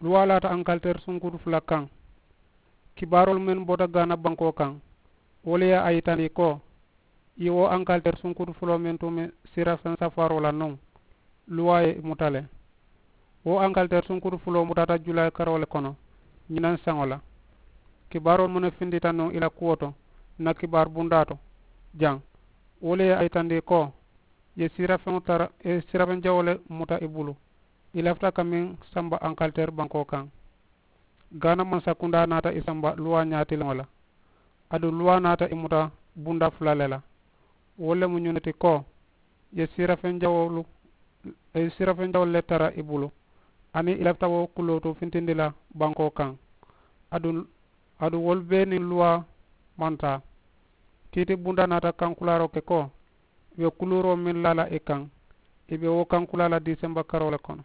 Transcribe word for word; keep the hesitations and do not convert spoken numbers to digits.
Luwaa laata ankalteer sunkutu fula kaŋ. Kibaaroolu mennu bota gaana bankoo kaŋ, wolu ye a yitandi ko i wo ankalteer sunkutu fuloo mennu tuumi siira feŋ safaaroo la nuŋ, luwaa ye i muta le. Wo ankalteer sunkutu fuloo mutaata julaayi karoo le kono ñinaŋ saŋo la. Kibaaroolu mennu fintita nuŋ i la kuwo to, na kibaaru bundaa to jaŋ, wolu ye a yitandi ko i ye siira feŋo tara i ye siira feŋ jawoo le muta i bulu. I lafita ka meŋ samba ankalteer bankoo kaŋ. Gaana mansakundaa naata i samba luwaa ñaatiliŋo la. Aduŋ luwaa naata i muta bundaa fula le la. Wo le mu ñunu ti ko i ye siira feŋ jawoolu i ye siira feŋ jawoolu le tara i bulu. Aniŋ i lafita wo kulootu fintindi la bankoo kaŋ. Aduŋ aduŋ wolu bee niŋ luwaa maŋ taa. Kiiti bundaa naata kankulaaroo ke ko i be kuluuroo meŋ laa la i kaŋ, i be wo kankulaa la diisemba karoo le kono.